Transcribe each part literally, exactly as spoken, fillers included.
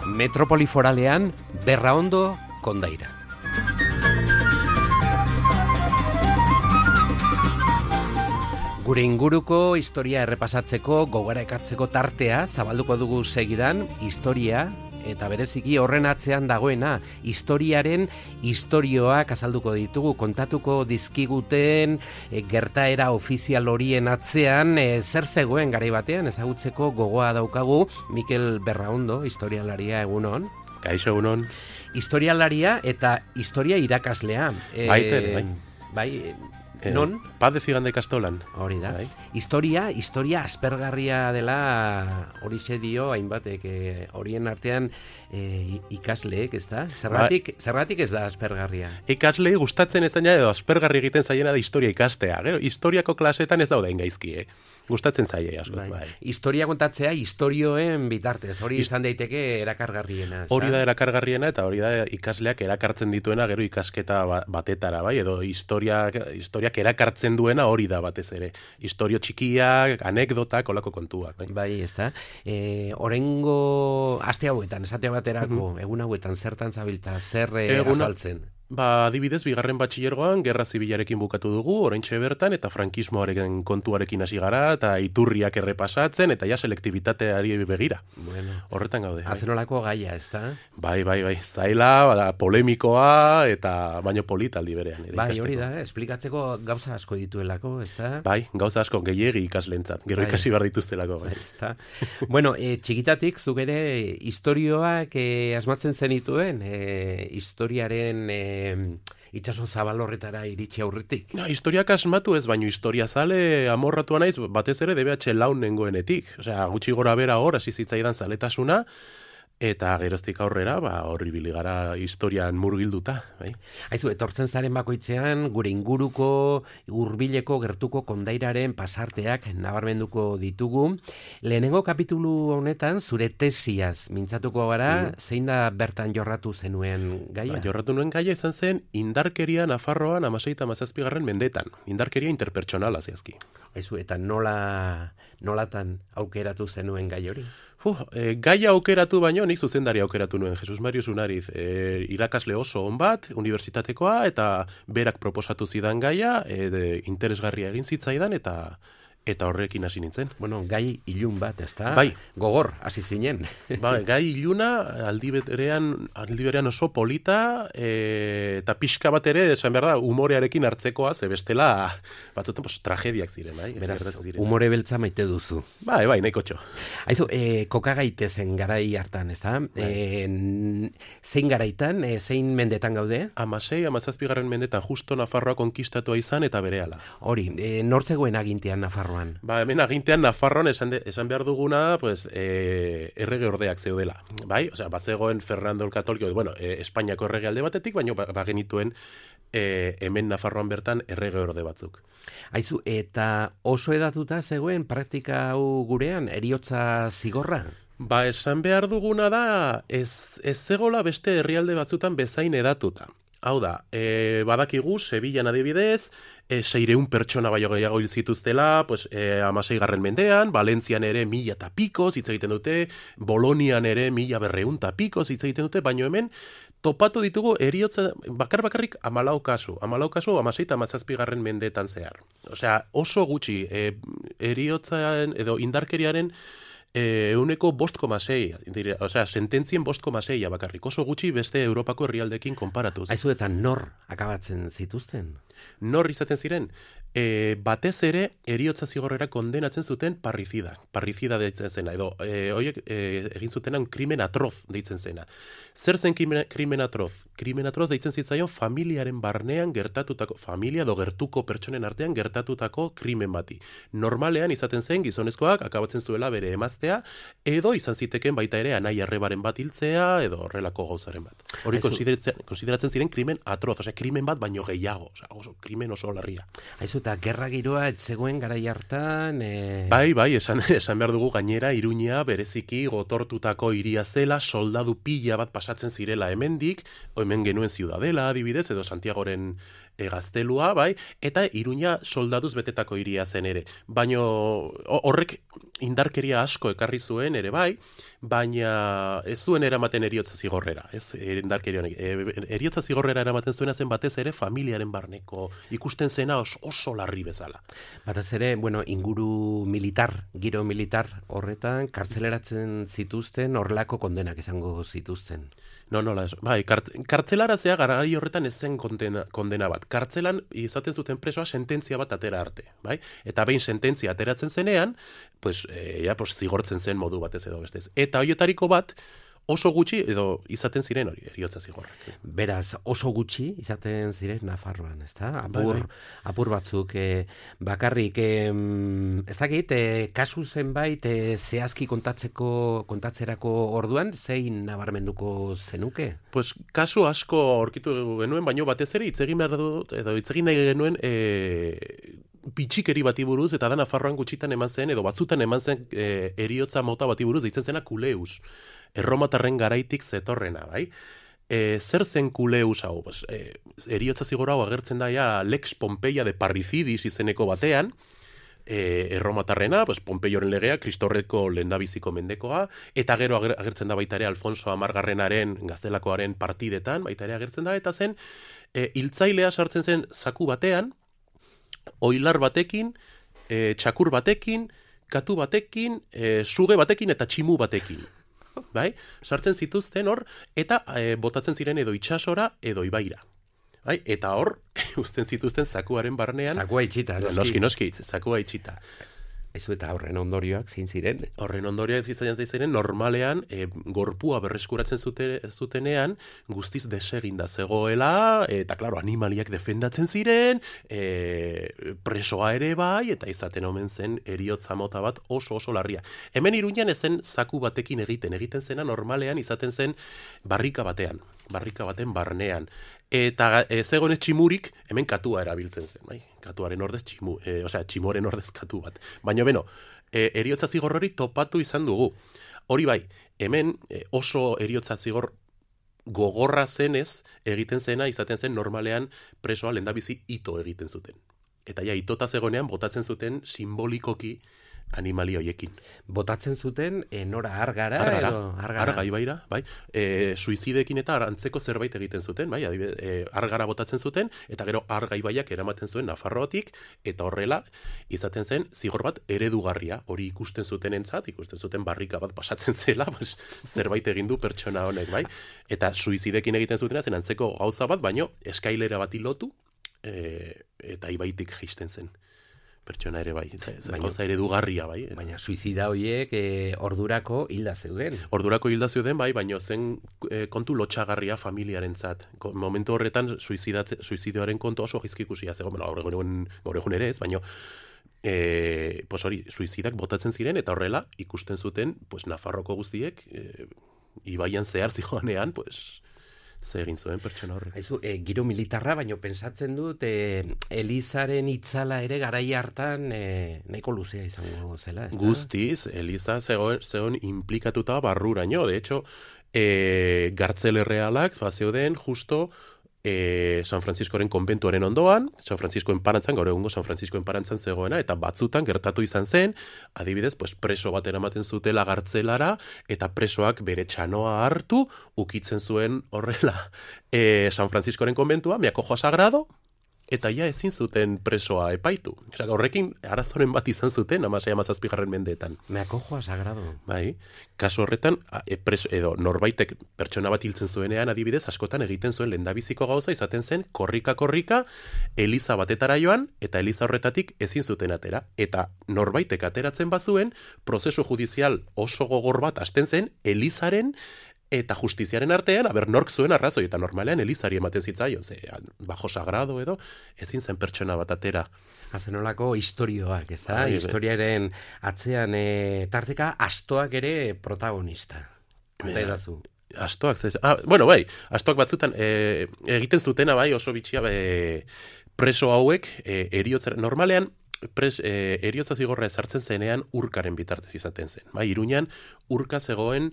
Metropoli foralean, Berraondo kondaira. Gure inguruko historia errepasatzeko, gogora ekartzeko tartea, zabalduko dugu segidan, historia, eta bereziki horren atzean dagoena, historiaren istorioak azalduko ditugu, kontatuko dizkiguten e, gertaera ofizial horien atzean, e, zer zegoen garai batean, ezagutzeko gogoa daukagu, Mikel Berraondo, historialaria, egunon. Kaixo, egunon. Historialaria eta historia irakaslea. E, Baiter, bai. Bai, Eh, non? Paz de Zigande Kastolan. Hori da. Bai. Historia, historia aspergarria dela horixe dio hainbatek, eh, horien artean eh, ikasleek, ez da? Zergatik, ba, zergatik ez da aspergarria? Ikaslei gustatzen ez zaina edo aspergarri egiten zaiena da historia ikastea. Gero, historiako klasetan ez daude gaizki, eh? Gustatzen zaie asko. Bai. Bai. Historia kontatzea istorioen bitartez, hori izan daiteke erakargarriena. Hori da erakargarriena eta hori da ikasleak erakartzen dituena gero ikasketa batetara, bai? Edo historia, historiak erakartzen duena hori da batez ere. Historio txikiak, anekdotak, olako kontuak. Bai, bai ez da. E, orengo aste hauetan, esate baterako, mm-hmm. egun hauetan zertan zabilta, zer Eguna... azaltzen? Ba, adibidez, bigarren batxilergoan, gerra zibilarekin bukatu dugu, oraintxe bertan, eta frankismoaren kontuarekin hasi gara, eta iturriak errepasatzen, eta ja selektibitateari begira. Bueno, horretan gaude. Azenolako gaia, ez da? Bai, bai, bai, zaila, bada, polemikoa, eta baino polita aldi berean. Bai, hori da, esplikatzeko gauza asko dituelako, ez da? Bai, gauza asko gehiegi ikaslentzat, gero bai. Ikasi behar dituztelako. Bai. Bai, bueno, e, txikitatik, zuk ere, historioak e, asmatzen zenituen, e, historiaren... E, itxaso zabal horretara iritsi aurretik. No, historiak asmatu ez, baino historia zale amorratua naiz, batez ere D B H laun nengoenetik. Osea, gutxi gora bera hor, hasi zitzaidan zaletasuna, eta geroztik aurrera, ba, horri biligara historian murgilduta. Bai. Aizu, etortzen zaren bakoitzean, gure inguruko, hurbileko gertuko kondairaren pasarteak nabarmenduko ditugu. Lehenengo kapitulu honetan, zure tesiaz mintzatuko gara, mm. zein da bertan jorratu zenuen gaia? Ba, jorratu nuen gaia izan zen, indarkeria Nafarroan amasei eta hamazazpigarren mendetan. Indarkeria interpertsonala zehazki. Aizu, eta nola, nolatan aukeratu zenuen gai hori? Uh, e, gaia aukeratu baino, nik zuzendari aukeratu nuen, Jesus Marius Unariz, e, irakasle oso on bat, unibertsitatekoa, eta berak proposatu zidan gaia, e, de, interesgarria egin zitzaidan, eta eta horrekin hasi nintzen. Bueno, gai ilun bat, ez da? Bai. Gogor, hasi zinen. Bai, gai iluna, aldi berean, aldi berean oso polita, e, eta pixka bat ere, esan behar da, humorearekin hartzekoa, ze bestela, batzutan, pues, tragediak ziren, bai? Beraz, ziren, humore beltza maite duzu. Bai, bai, nahiko txo. Aizu, e, koka gaitezen garai hartan, ez da? Bai. E, zein garaitan, e, zein mendetan gaude? Amasei, amazazpigarren mendetan, justo Nafarroa konkistatua izan eta berehala. Hori, e, nortzegoen agintean Nafarroan? Ba, hemen agintean Nafarroan esan, de, esan behar duguna, pues, e, errege ordeak zeudela. Bai? Osea, bazegoen Fernando el Katoliko, bueno, e, Espainiako errege alde batetik, baina bagenituen e, hemen Nafarroan bertan errege orde batzuk. Aizu, eta oso edatuta zegoen praktika hau gurean, heriotza zigorra? Ba, esan behar duguna da, ez, ez zegola beste herrialde batzutan bezain edatuta. Hau da, e, badakigu, Sevillan adibidez, e, seireun pertsona baino gehiago hil zituztela, pues, e, amasei garren mendean, Valentzian ere mila eta pikoz hitz egiten dute, Bolonian ere mila berreun eta pikoz hitz egiten dute, baino hemen topatu ditugu eriotza, bakar bakarrik amalau kasu, amalau kasu amasei eta amazazpigarren mendeetan zehar. Osea, oso gutxi, e, eriotzaren edo indarkeriaren E, euneko bost koma sei, osea, sententzien bost koma seia bakarrik, oso gutxi beste Europako herrialdekin konparatuz. Aizu, eta nor akabatzen zituzten? Nor izaten ziren? E, batez ere, eriotza zigorrera kondenatzen zuten parrizida. Parrizida deitzen zena, edo e, oiek e, egin zutenan krimen atroz deitzen zena. Zer zen krimen, krimen atroz? Krimen atroz deitzen zitzaion familiaren barnean gertatutako, familia do gertuko pertsonen artean gertatutako krimen bati. Normalean izaten zen gizonezkoak akabatzen zuela bere emaztea, edo izan ziteken baita ere anai arrebaren bat hiltzea, edo horrelako gauzaren bat. Hori konsideratzen, konsideratzen ziren krimen atroz, osea, krimen bat baino gehiago, osea, oso, krimen oso larria. Aizu, eta gerra giroa ez zegoen garai hartan... E... Bai, bai, esan, esan behar dugu gainera, Iruña bereziki gotortutako hiria zela, soldadu pila bat pasatzen zirela hemendik, hemen genuen Ziudadela adibidez, edo Santiagoren e, gaztelua, bai, eta Iruña soldaduz betetako hiria zen ere. Baina horrek indarkeria asko ekarri zuen ere bai, baina ez zuen eramaten eriotza zigorrera, ez, indarkeria honek. E, eriotza zigorrera eramaten zuena zen batez ere familiaren barneko ikusten zena oso, oso larri bezala. Batez ere, bueno, inguru militar, giro militar horretan, kartzeleratzen zituzten, horrelako kondenak izango zituzten. No, no, las, bai, kart, kartzelarazea garai horretan ez zen kondena, kondena bat. Kartzelan izaten zuten presoa sententzia bat atera arte, bai? Eta behin sententzia ateratzen zenean, pues, e, ja, pues, zigortzen zen modu batez edo bestez. Eta hoietariko bat, oso gutxi edo izaten ziren hori, eriotza zigorrak. Beraz, oso gutxi izaten ziren Nafarroan, ezta? Apur, bai, bai. apur batzuk eh, bakarrik, eh, ez dakit, eh, kasu zenbait eh, zehazki kontatzeko, kontatzerako orduan, zein nabarmenduko zenuke? Pues, kasu asko aurkitu genuen, baino batez ere hitz egin behar dut, edo hitz egin nahi genuen, e, bitxikeri bati buruz, eta da Nafarroan gutxitan eman zen, edo batzutan eman zen e, eriotza mota bati buruz, deitzen zena kuleus. Erromatarren garaitik zetorrena, bai? E, zer zen kuleus hau? Pues, e, eriotza zigor hau agertzen da ja Lex Pompeia de Parricidis izeneko batean, e, erromatarrena, pues, Pompeioren legea, Kristorreko lehendabiziko mendekoa, eta gero agertzen da baita ere Alfonso Amargarrenaren gaztelakoaren partidetan, baita ere agertzen da, eta zen, e, hiltzailea sartzen zen zaku batean, oilar batekin, e, txakur batekin, katu batekin, e, suge batekin eta tximu batekin. Bai? Sartzen zituzten hor, eta e, botatzen ziren edo itsasora edo ibaira. Bai? Eta hor, uzten zituzten zakuaren barnean... Zakua itxita. Noski, noski, zakua itxita. Ezu eta horren ondorioak zein ziren? Horren ondorioak ziren ziren normalean e, gorpua berreskuratzen zute, zutenean guztiz deseginda zegoela, eta klaro, animaliak defendatzen ziren, e, presoa ere bai, eta izaten omen zen eriotza mota bat oso oso larria. Hemen Iruñan ezen zaku batekin egiten, egiten zena normalean izaten zen barrika batean, barrika baten barnean. Eta e, zegoen tximurik, hemen katua erabiltzen zen, bai? Katuaren ordez tximu, e, osea, tximuaren ordez katu bat. Baina beno, e, eriotza zigor hori topatu izan dugu. Hori bai, hemen e, oso eriotza zigor gogorra zenez egiten zena, izaten zen normalean presoa lehendabizi ito egiten zuten. Eta ja, itota zegoenean botatzen zuten simbolikoki animali hoiekin. Botatzen zuten e, nora argara? Argara, edo, argara. arga ibaira, bai. E, suizidekin eta antzeko zerbait egiten zuten, bai, adibidez, e, argara botatzen zuten, eta gero arga ibaiak eramaten zuen Nafarroatik, eta horrela, izaten zen, zigor bat eredugarria, hori ikusten zuten entzat, ikusten zuten barrika bat pasatzen zela, pues, zerbait egin du pertsona honek, bai. Eta suizidekin egiten zutena zen antzeko gauza bat, baino eskailera bati lotu, e, eta ibaitik jaisten zen. Pertsona ere bai, baina gauza eredugarria bai. Baina suizida horiek e, ordurako hilda zeuden. Ordurako hilda zeuden bai, baina zen e, kontu lotxagarria familiarentzat. Momentu horretan suizidioaren kontu oso gizkikusia zegoen, bueno, gaur egun, gaur egun ere ez, baina e, pues hori, suizidak botatzen ziren eta horrela ikusten zuten pues, Nafarroko guztiek e, ibaian zehar zijoanean, pues, ze egin zuen pertsona horrek. Aizu, e, giro militarra, baino pensatzen dut e, Elizaren itzala ere garai hartan e, nahiko luzea izango zela, ez da? Guztiz, Eliza zegoen, zegoen implikatuta barruraino. De hecho, e, Gartzel errealak zeuden justo e, San Franciscoren konbentuaren ondoan, San Franciscoen parantzan, gaur egungo San Franciscoen parantzan zegoena, eta batzutan gertatu izan zen, adibidez, pues, preso bat eramaten zutela Gartzelara, eta presoak bere txanoa hartu, ukitzen zuen horrela e, San Franciscoren konbentua, Miakojoa Sagrado, eta ja ezin zuten presoa epaitu. Osea, horrekin arazoren bat izan zuten, hamasei hamazazpigarren mendeetan. Miakojoa Sagrado. Bai, kasu horretan, e, preso, edo norbaitek pertsona bat hiltzen zuenean adibidez, askotan egiten zuen lehendabiziko gauza izaten zen, korrika-korrika, Eliza batetara joan, eta Eliza horretatik ezin zuten atera. Eta norbaitek ateratzen bazuen, prozesu judizial oso gogor bat hasten zen, Elizaren eta justiziaren artean, aber nork zuen arrazoi, eta normalean Elizari ematen zitzaion, ze, bajo sagrado edo, ezin zen pertsona bat atera. Azenolako historioak, ez da? Historiaren atzean e, tarteka astoak ere protagonista. Eta edazu. Astoak, zez, ah, bueno, bai, astoak batzutan e, egiten zutena, bai, oso bitxia e, preso hauek, e, eriotza, normalean, Pres, e, eriotza zigorra ezartzen zenean urkaren bitartez izaten zen. Bai, Iruñan urka zegoen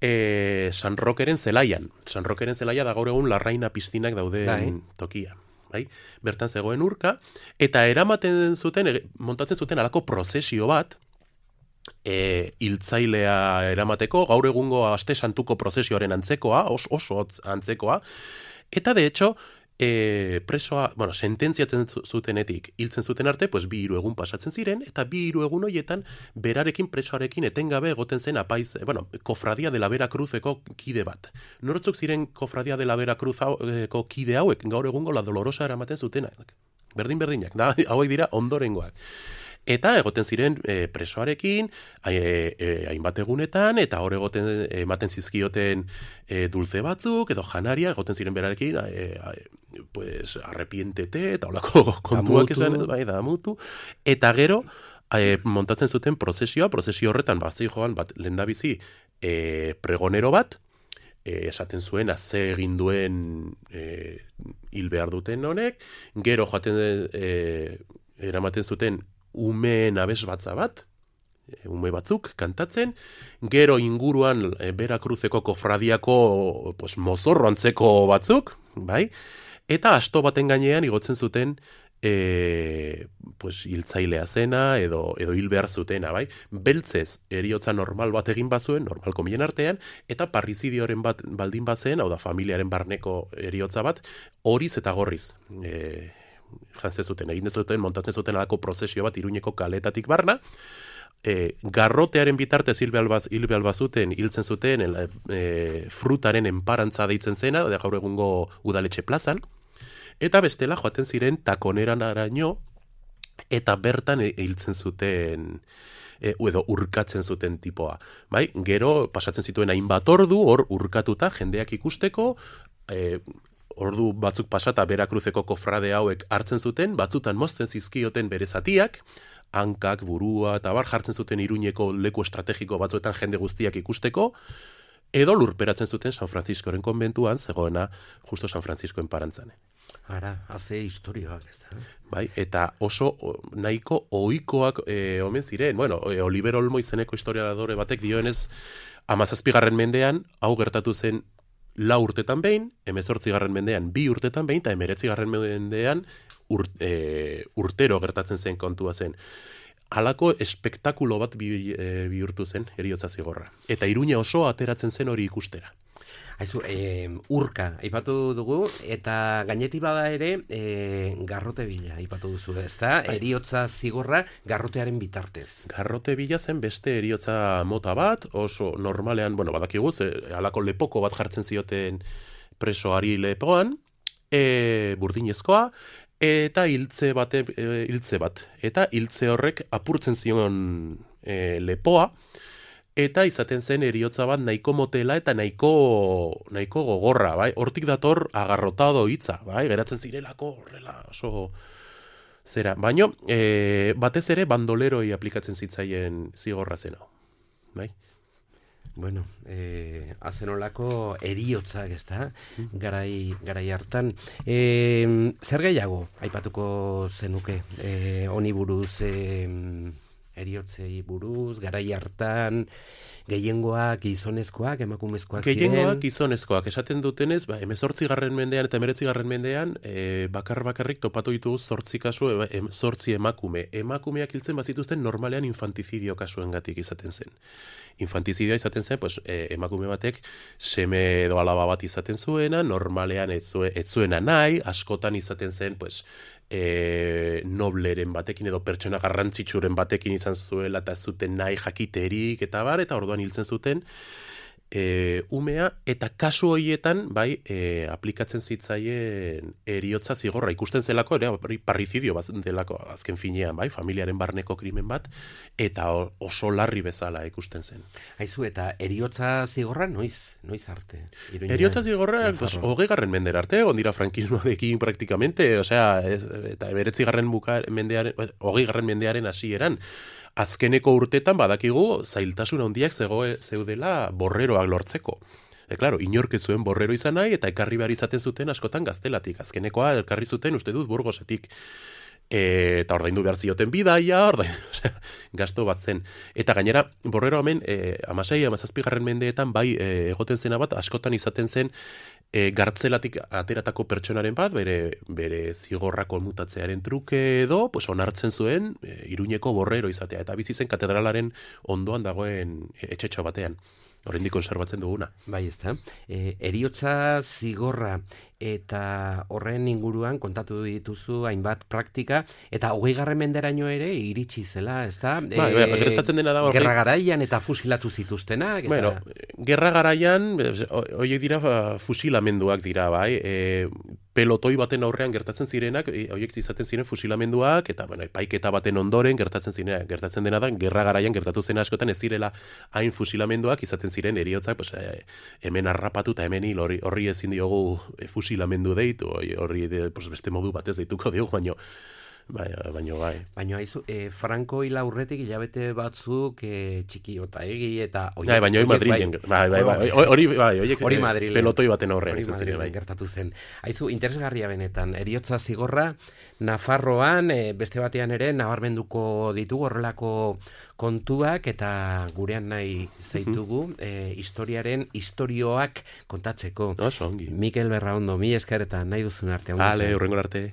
e, San Rokeren zelaian. San Rokeren zelaia da gaur egun Larraina piztinak dauden bai. Tokia. bai? Bertan zegoen urka, eta eramaten zuten, montatzen zuten alako prozesio bat, e, hiltzailea eramateko, gaur egungo aste santuko prozesioaren antzekoa, os, oso antzekoa, eta de hecho, E, presoa, bueno, sententziatzen zutenetik hiltzen zuten arte, pues bi hiru egun pasatzen ziren, eta bi hiru egun hoietan berarekin presoarekin etengabe egoten zen apaiz, bueno, Kofradia de la Veracruzeko kide bat. Nortzuk ziren Kofradia de la Veracruzeko kide hauek, gaur egungo la Dolorosa eramaten zutenak. Berdin-berdinak, da, hauek dira ondorengoak. Eta egoten ziren e, presoarekin, e, e, hainbat egunetan, eta hor egoten ematen zizkioten e, dulze batzuk, edo janaria, egoten ziren berarekin, e, e, pues, arrepientete, eta holako kontuak esan, bai, da, mutu. Eta gero, e, montatzen zuten prozesioa, prozesio horretan, bat joan, bat, lehendabizi, e, pregonero bat, e, esaten zuen, ze egin duen e, hil behar duten honek, gero joaten e, eramaten zuten, umeen abesbatza bat, ume batzuk kantatzen, gero inguruan e, Veracruzeko kofradiako pues, mozorro antzeko batzuk, bai? Eta asto baten gainean igotzen zuten e, pues, hiltzailea zena edo, edo hil behar zutena, bai? Beltzez eriotza normal bat egin bazuen, normal komien artean, eta parrizidioaren bat baldin bazen, hau da familiaren barneko eriotza bat, horiz eta gorriz, e, jantzen zuten, egin zuten, montatzen zuten alako prozesio bat Iruñeko kaletatik barna, e, garrotearen bitartez hil behar bazuten, hiltzen zuten el, e, frutaren enparantza deitzen zena, da gaur egungo udaletxe plazan, eta bestela joaten ziren takoneran araño, eta bertan hiltzen zuten, e, edo urkatzen zuten tipoa. Bai? Gero pasatzen zituen hainbat ordu, hor urkatuta jendeak ikusteko, e, ordu batzuk pasata Veracruzeko kofrade hauek hartzen zuten, batzutan mozten zizkioten bere zatiak, hankak, burua, eta bar jartzen zuten Iruñeko leku estrategiko batzuetan jende guztiak ikusteko, edo lurperatzen zuten San Franciscoren konbentuan, zegoena justo San Franciscoen parantzane. Ara, haze historioak ez da. Bai, eta oso nahiko ohikoak e, omen ziren. Bueno, e, Oliver Olmo izeneko historiadore batek dioenez, hamazazpigarren mendean, hau gertatu zen lau urtetan behin, hemezortzigarren mendean bi urtetan behin, eta hemeretzigarren mendean ur, e, urtero gertatzen zen kontua zen. Halako espektakulo bat bi, e, bihurtu zen heriotza zigorra. Eta Iruña oso ateratzen zen hori ikustera. Aizu, e, urka, aipatu dugu, eta gaineti bada ere, e, garrote bila, aipatu duzu, ez da? Heriotza zigorra garrotearen bitartez. Garrote bila zen beste heriotza mota bat, oso normalean, bueno, badakiguz, e, halako lepoko bat jartzen zioten presoari lepoan, e, burdinezkoa, eta hiltze bate, e, hiltze bat. Eta hiltze horrek apurtzen zion e, lepoa, eta izaten zen heriotza bat nahiko motela eta nahiko nahiko gogorra, bai? Hortik dator agarrotado hitza, bai? Geratzen zirelako horrela oso zera. Baino, e, batez ere bandoleroi aplikatzen zitzaien zigorra zen hau, bai? Bueno, eh, azenolako eriotzak, ez da, garai, garai hartan. E, zer gehiago, aipatuko zenuke, e, honi buruz, e, eriotzei buruz, garai hartan, gehiengoak gizonezkoak, emakumezkoak ziren. Gehiengoak gizonezkoak, esaten dutenez, ba, hemezortzigarren mendean eta hemeretzigarren mendean, e, bakar bakarrik topatu ditugu zortzi kasu, e, zortzi emakume. Emakumeak hiltzen bazituzten normalean infantizidio kasuengatik izaten zen. Infantizidioa izaten zen, pues, e, emakume batek seme edo alaba bat izaten zuena, normalean ez, zue, ez zuena nahi, askotan izaten zen, pues, e, nobleren batekin edo pertsona garrantzitsuren batekin izan zuela eta ez zuten nahi jakiterik eta bar, eta orduan hiltzen zuten e, umea, eta kasu horietan bai e, aplikatzen zitzaien heriotza zigorra ikusten zelako, ere parrizidio bat delako azken finean, bai, familiaren barneko krimen bat, eta oso larri bezala ikusten zen. Aizu, eta heriotza zigorra noiz, noiz arte? Iruña, heriotza zigorra, pues, hogeigarren mendera arte, ondira frankismoarekin praktikamente, osea, ez, eta eberetzigarren mendearen, hogeigarren mendearen hasieran, azkeneko urtetan badakigu zailtasun handiak zegoe zeudela borreroak lortzeko. E, claro, inork ez zuen borrero izan nahi, eta ekarri behar izaten zuten askotan gaztelatik. Azkenekoa ekarri zuten uste dut Burgosetik. E, eta ordaindu behar zioten bidaia, ordaindu, osea, gasto bat zen. Eta gainera, borrero hemen, e, amasei, amazazpigarren mendeetan, bai, e, egoten zena bat, askotan izaten zen, e, gartzelatik ateratako pertsonaren bat, bere, bere zigorra konmutatzearen truke edo, pues, onartzen zuen e, Iruñeko borrero izatea, eta bizi zen katedralaren ondoan dagoen etxetxo batean. Oraindik konserbatzen duguna. Bai, ezta. E, eriotza zigorra eta horren inguruan kontatu dituzu hainbat praktika, eta hogeigarren menderaino ere iritsi zela, ezta? Bai, bai, gertatzen dena da hori. Gerra garaian eta fusilatu zituztenak. Eta... Bueno, gerra garaian, horiek dira fusilamenduak dira, bai. E, pelotoi baten aurrean gertatzen zirenak, horiek izaten ziren fusilamenduak, eta bueno, epaiketa baten ondoren gertatzen zirenak. Gertatzen dena da, gerra garaian gertatu zen askotan ez zirela hain fusilamenduak, izaten ziren eriotzak, pues, e, hemen harrapatu eta hemen hil, horri, horri ezin diogu e, fusilamendu deitu, horri de, pues, beste modu batez deituko diogu, baino, bai, baino bai. Baino haizu, e, Franco hil aurretik hilabete batzuk e, txiki ota egi eta... Bai, baino hori Madrilen, bai, bai, bai, hori bai, hori Madrilen. Pelotoi baten aurrean. Hori Madrilen bai. Gertatu zen. Haizu, interesgarria benetan, eriotza zigorra, Nafarroan, e, beste batean ere, nabarmenduko ditugu horrelako kontuak eta gurean nahi zaitugu e, historiaren historioak kontatzeko. Oso ongi. Mikel Berraondo, mi esker eta nahi duzun arte. Ale, hurrengo arte.